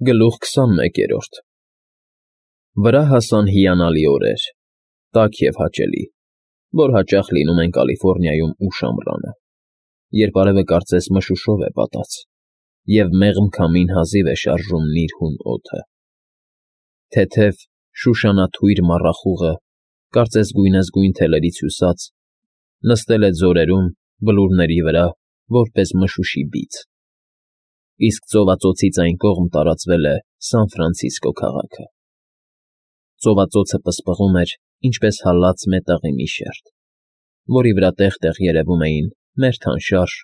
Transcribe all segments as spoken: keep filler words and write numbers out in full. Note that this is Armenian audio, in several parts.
Գլուխ քսանմեկերորդ Վրա հասան հիանալի օրեր, տաք և հաճելի, որ հաճախ լինում են Կալիֆոռնիայում ուշ ամռանը, երբ արևը կարծես մշուշով է պատած, և մեղմ քամին հազիվ է շարժում նիրհուն օդը. թեթև, շուշանաթույր մառախուղը, կարծես գույնզգույն թելերից հյուսած, նստել է ձորերում, բլուրների վրա, որպես մշուշի բիծ, իսկ ծովածոցից այն կողմ տարածվել է Սան Ֆրանցիսկո քաղաքը. ծովածոցը պսպղում էր, ինչպես հալած մետաղի մի շերտ, որի վրա տեղ֊տեղ երևում էին մերթ անշարժ,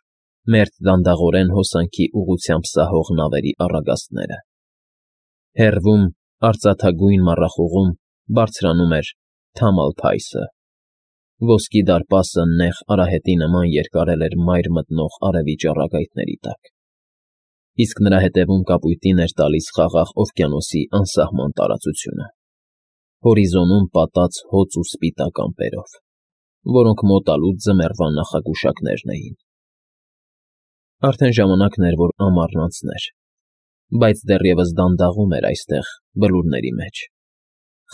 մերթ դանդաղորեն հոսանքի ուղղությամբ սահող նավերի առագաստները. հեռվում, արծաթագույն մառախուղում բարձրանում էր Թամալ Փայսը, ոսկի դարպասը նեղ արահետի նման երկարել էր մայր մտնող արևի ճառագայթների տակ, իսկ նրա ետևում կապույտին էր տալիս խաղաղ օվկիանոսի անսահման տարածությունը, հորիզոնում պատած հոծ ու սպիտակ ամպերով, որոնք մոտալուտ ձմեռվա նախագուշակներն էին. Արդեն ժամանակն էր, որ ամառն անցներ, բայց դեռևս դանդաղում էր այստեղ, բլուրների մեջ,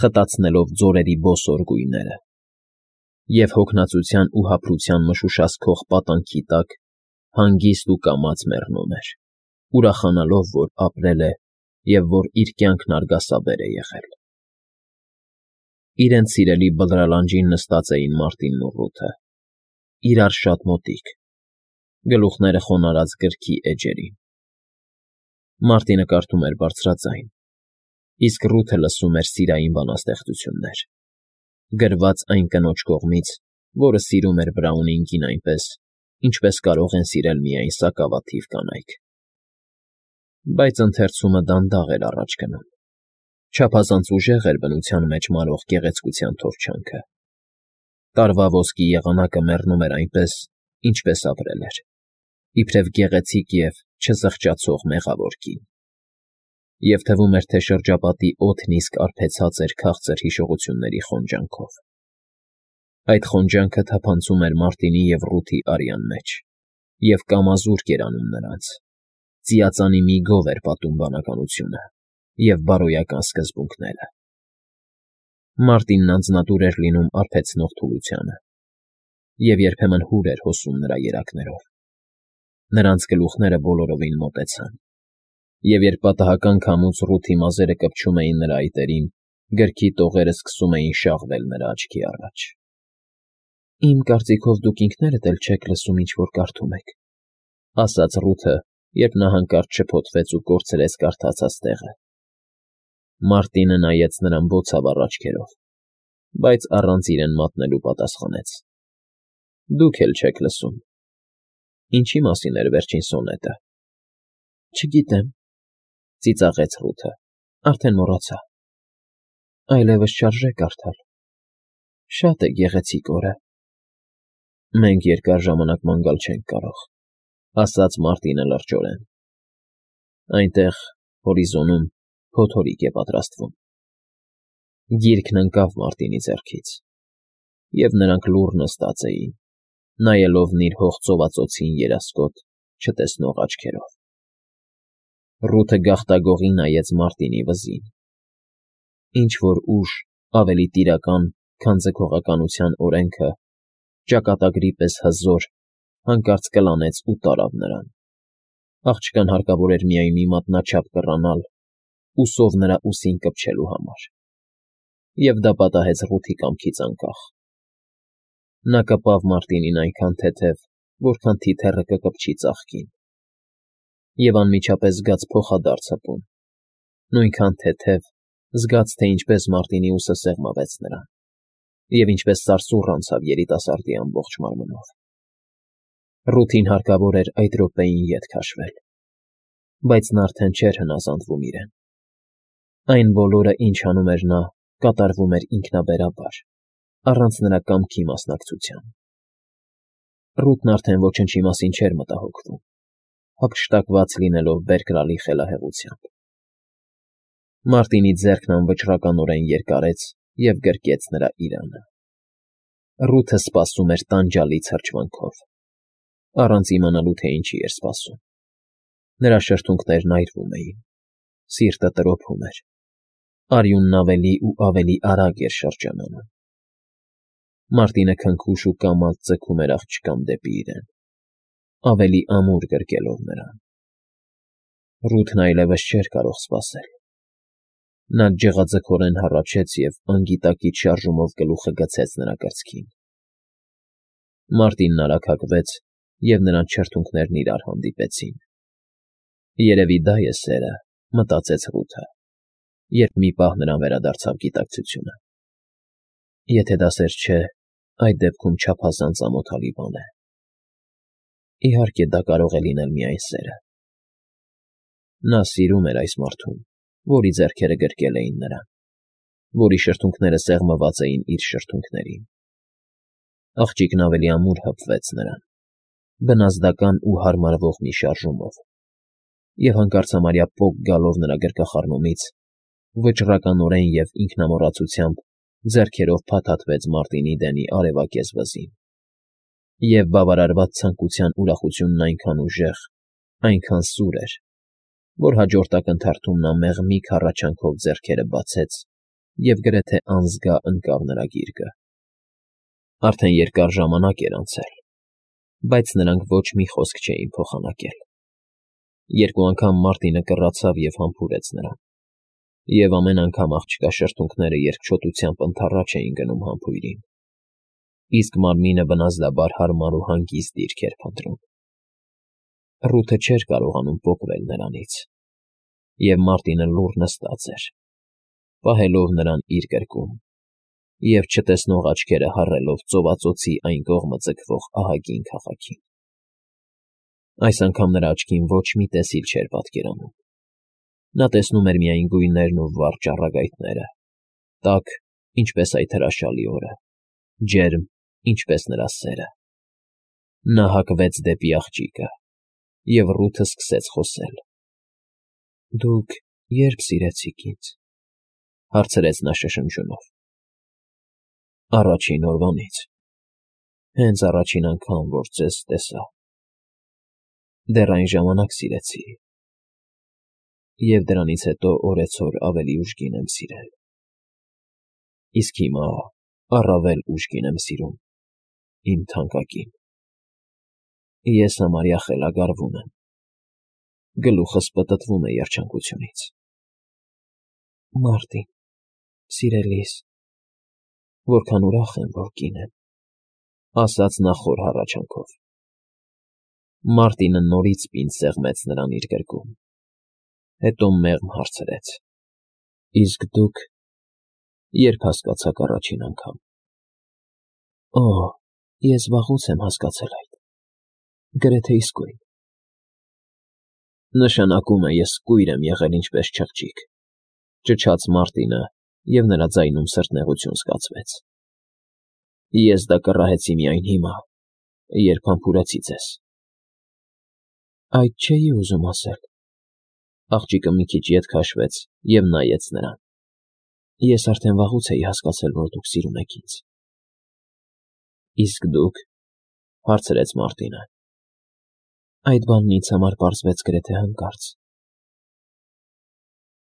խտացնելով ձորերի բոսոր գույները, և հոգնածության ու հափրության մշուշացքող պատանքի տակ հանգիստ ու կամաց մեռնում էր, ուրախանալով, որ ապրել է և որ իր կյանքն արգասաբեր է եղել։ Իրենց սիրելի բլրալանջին նստած էին Մարտինն ու Ռութը, իրար շատ մոտիկ, գլուխները խոնարհած գրքի էջերին. Մարտինը կարդում էր բարձրաձայն, իսկ Ռութը լսում էր սիրային բանաստեղծություններ, գրված այն կնոջ կողմից, որը սիրում էր Բրաունինգին այնպես, ինչպես կարող են սիրել միայն սակավաթիվ կանայք։ Բայց ընթերցումը դանդաղ էր առաջ գնում, չափազանց ուժեղ էր բնության մեջ մարող գեղեցկության թորչանքը, տարվա ոսկի եղանակը մեռնում էր այնպես, ինչպես ապրել էր, իբրև գեղեցիկ և չզղջացող մեղավոր կին, և թվում էր, թե շրջապատի օդն իսկ արբեցած էր քաղցր հիշողությունների խոնջանքով։ Այդ խոնջանքը թափանցում էր Մարտինի և Ռութի արյան մեջ և կամազուրկ էր անում նրանց, ծիածանի մի գով էր պատում բանականությունը և բարոյական սկզբունքները։ Մարտինն անձնատուր էր լինում արբեցնող թուլությանը և երբեմն հուր էր հոսում նրա երակներով։ Նրանց գլուխները բոլորովին մոտեցան, և երբ պատահական քամուց Ռութի մազերը կպչում էին նրա այտերին, գրքի տողերը սկսում էին շաղվել նրա աչքի առաջ։ ֊ Իմ կարծիքով դուք ինքներդ էլ չեք լսում, ինչ որ կարդում եք, ֊ ասաց Ռութը, երբ նա հանկարծ շփոթվեց ու կորցրեց կարդացած տեղը։ Մարտինը նայեց նրան բոցավառ աչքերով, բայց առանց իրեն մատնելու պատասխանեց. ֊ Դուք էլ չեք լսում։ Ինչի՞ մասին էր վերջին սոնետը։ ֊ Չգիտեմ, ֊ ծիծաղեց Ռութը, արդեն մոռացա։ Այլևս չարժե կարդալ։ Շատ է գեղեցիկ օրը։ Մենք երկար ժամանակ ման գալ չենք կարող, ֊ ասաց Մարտինը լրջորեն։ Այնտեղ, հորիզոնում, փոթորիկ է պատրաստվում։ Գիրքն ընկավ Մարտինի ձեռքից, և նրանք լուռ նստած էին, նայելով նիրհող ծովածոցին երասկոտ, չտեսնող աչքերով։ Ռութը գաղտագողի նայեց Մարտինի վզին։ Ինչ֊որ ուժ, ավելի տիրական, քան ձգողականության օրենքը, ճակատագրի պես հզոր, հանկարծ կլանեց ու տարավ նրան։ Աղջկան հարկավոր էր միայն մի մատնաչափ կռանալ, ուսով նրա ուսին կպչելու համար, և դա պատահեց Ռութի կամքից անկախ։ Նա կպավ Մարտինին այնքան թեթև, որքան թիթեռը կկպչի ծաղկին, և անմիջապես զգաց փոխադարձ հպում, նույնքան թեթև, զգաց, թե ինչպես Մարտինի ուսը սեղմվեց նրան, և ինչպես սարսուռ անցավ երիտասարդի ամբողջ մարմնով։ Ռութին հարկավոր էր այդ րոպեին ետ քաշվել, բայց նա արդեն չէր հնազանդվում իրեն։ Այն բոլորը, ինչ անում էր նա, կատարվում էր ինքնաբերաբար, առանց նրա կամքի մասնակցության։ Ռութն արդեն ոչնչի մասին չէր մտահոգվում, հափշտակված լինելով բերկրալի խելահեղությամբ։ Մարտինի ձեռքն անվճռականորեն երկարեց և գրկեց նրա իրանը։ Ռութը սպասում էր տանջալից հրճվանքով, առանց իմանալու, թե ինչի էր սպասում։ Նրա շրթունքներն այրվում էին, Սիրտը տրոփում էր։ Արյունն ավելի ու ավելի արագ էր շրջանանում։ Մարտինը քնքուշ ու կամաց ձգում էր աղջկան դեպի իրեն, ավելի ամուր գրկելով նրան։ Ռութն այլևս չէր կարող սպասել։ Նա ջղաձգորեն հառաչեց և անգիտակից շարժումով գլուխը գցեց նրա կրծքին։ Մարտինն արագ հագվեց, և նրանց շրթունքներն իրար հանդիպեցին։ Երևի դա է սերը, մտածեց Ռութը, երբ մի պահ նրան վերադարձավ գիտակցությունը։ Եթե դա սեր չէ, այդ դեպքում չափազանց ամոթալի բան է։ Իհարկե, դա կարող է լինել միայն սերը։ Նա սիրում էր այս մարդուն, որի ձեռքերը գրկել էին նրան, որի շրթունքները սեղմված էին իր շրթունքներին։ Աղջիկն ավելի ամուր հպվեց նրան, բնազդական ու հարմարվող մի շարժումով, և հանկարծամարյա պոկ գալով նրա գրկախառնումից, վճռականորեն և ինքնամոռացությամբ ձեռքերով փաթաթվեց Մարտինի դեմի արևակեզ վզին, և բավարարված ցանկության ուրախությունն այնքան ուժեղ, այնքան սուր էր, որ հաջորդ ակնթարթում նա մեղմիկ հառաչանքով ձեռքերը բացեց և գրեթե անզգա ընկավ նրա գիրկը։ Արդեն երկար ժամանակ էր անցել, բայց նրանք ոչ մի խոսք չէին փոխանակել։ Երկու անգամ Մարտինը կռացավ և համբուրեց նրան, և ամեն անգամ աղջկա շրթունքները երկչոտությամբ ընդառաջ էին գնում համբույրին, իսկ մարմինը բնազդաբար հարմար ու հանգիստ դիրք էր փնտրում։ Ռութը չէր կարողանում պոկվել նրանից, և Մարտինը լուռ նստած էր, պահելով նրան իր կրկում և չտեսնող աչքերը հառելով ծովածոցի այն կողմը ձգվող ահագին քաղաքին։ Այս անգամ նրա աչքին ոչ մի տեսիլ չէր պատկերանում։ Նա տեսնում էր միայն գույներն ու վառ ճառագայթները, տաք, ինչպես այդ հրաշալի օրը, ջերմ, ինչպես նրա սերը։ Նա հակվեց դեպի աղջիկը, և Ռութը սկսեց խոսել։ ֊ Դուք ե՞րբ սիրեցիք ինձ,֊ հարցրեց նա շշնջյունով։ ֊ Առաջին օրվանից, հենց առաջին անգամ, որ ձեզ տեսա, դեռ այն ժամանակ սիրեցի, և դրանից հետո օրեցօր ավելի ուժգին եմ սիրել, իսկ հիմա առավել ուժգին եմ սիրում, իմ թանկագին… Ես համարյա խելագարվում եմ, գլուխս պտտվում է երջանկությունից։ ֊ Մարտին, սիրելիս, որքան ուրախ եմ, որ կին եմ,֊ ասաց նա խոր հառաչանքով։ Մարտինը նորից պինդ սեղմեց նրան իր գրկում, հետո մեղմ հարցրեց. ֊ Իսկ դուք ե՞րբ հասկացաք առաջին անգամ։ ֊ Օ՜, ես վաղուց եմ հասկացել այդ, գրեթե իսկույն։ ֊ Նշանակում է ես կույր եմ եղել ինչպես չղջիկ,֊ ճչաց Մարտինը, և նրա ձայնում սրտնեղություն զգացվեց։ Ես դա կռահեցի միայն հիմա, երբ համբուրեցի ձեզ։ ֊ Այդ չէի ուզում ասել,֊ աղջիկը մի քիչ ետ քաշվեց և նայեց նրան։ Ես արդեն վաղուց էի հասկացել, որ դուք սիրում եք ինձ։ ֊ Իսկ դուք,֊ հարցրեց Մարտինը։ Այդ բանն ինձ համար պարզվեց գրեթե հանկարծ,